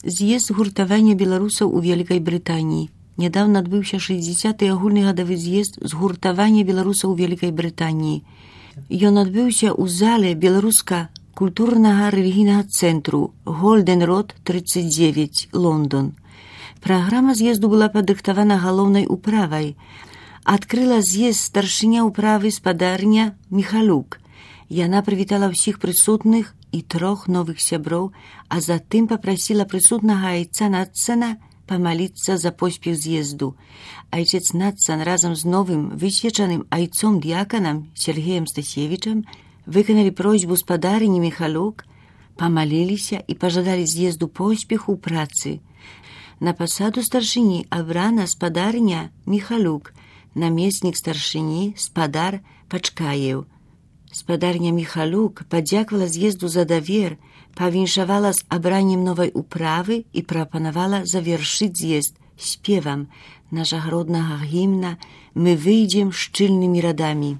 З'езд згуртавання беларусаў у Вялікай Брытаніі. Нядаўна адбыўся 60-й агульны гадавы з'езд згуртавання беларусаў у Вялікай Брытаніі. Ён адбыўся ў зале беларуска-культурнага рэлігійнага цэнтру Голден Род 39, Лондон. Праграма з'езду была падрыхтавана галоўнай управай. Адкрыла з'езд старшыня ўправы спадарня Міхалюк. Яна прывітала ўсіх прысутных і 3 новых сяброў, а затым папрасіла прысутнага айца Нацана памаліцца за поспех з'езду. Айчец Нацан разам з новым высвечаным айцом-дыяканам Сергеем Стасевічам выканалі просьбу спадарыні Міхалюк, памаліліся і пажадалі з'езду поспеху ў працы. На пасаду старшыні абрана спадарня Міхалюк, намеснік старшыні спадар Пачкаеў. Спадарня Міхалюк падзяквала з'езду за давер, павіншавала з абраннем новай управы і прапанавала завяршыць з'езд спевам нашага роднага гімна «Мы выйдзем шчыльнымі радамі».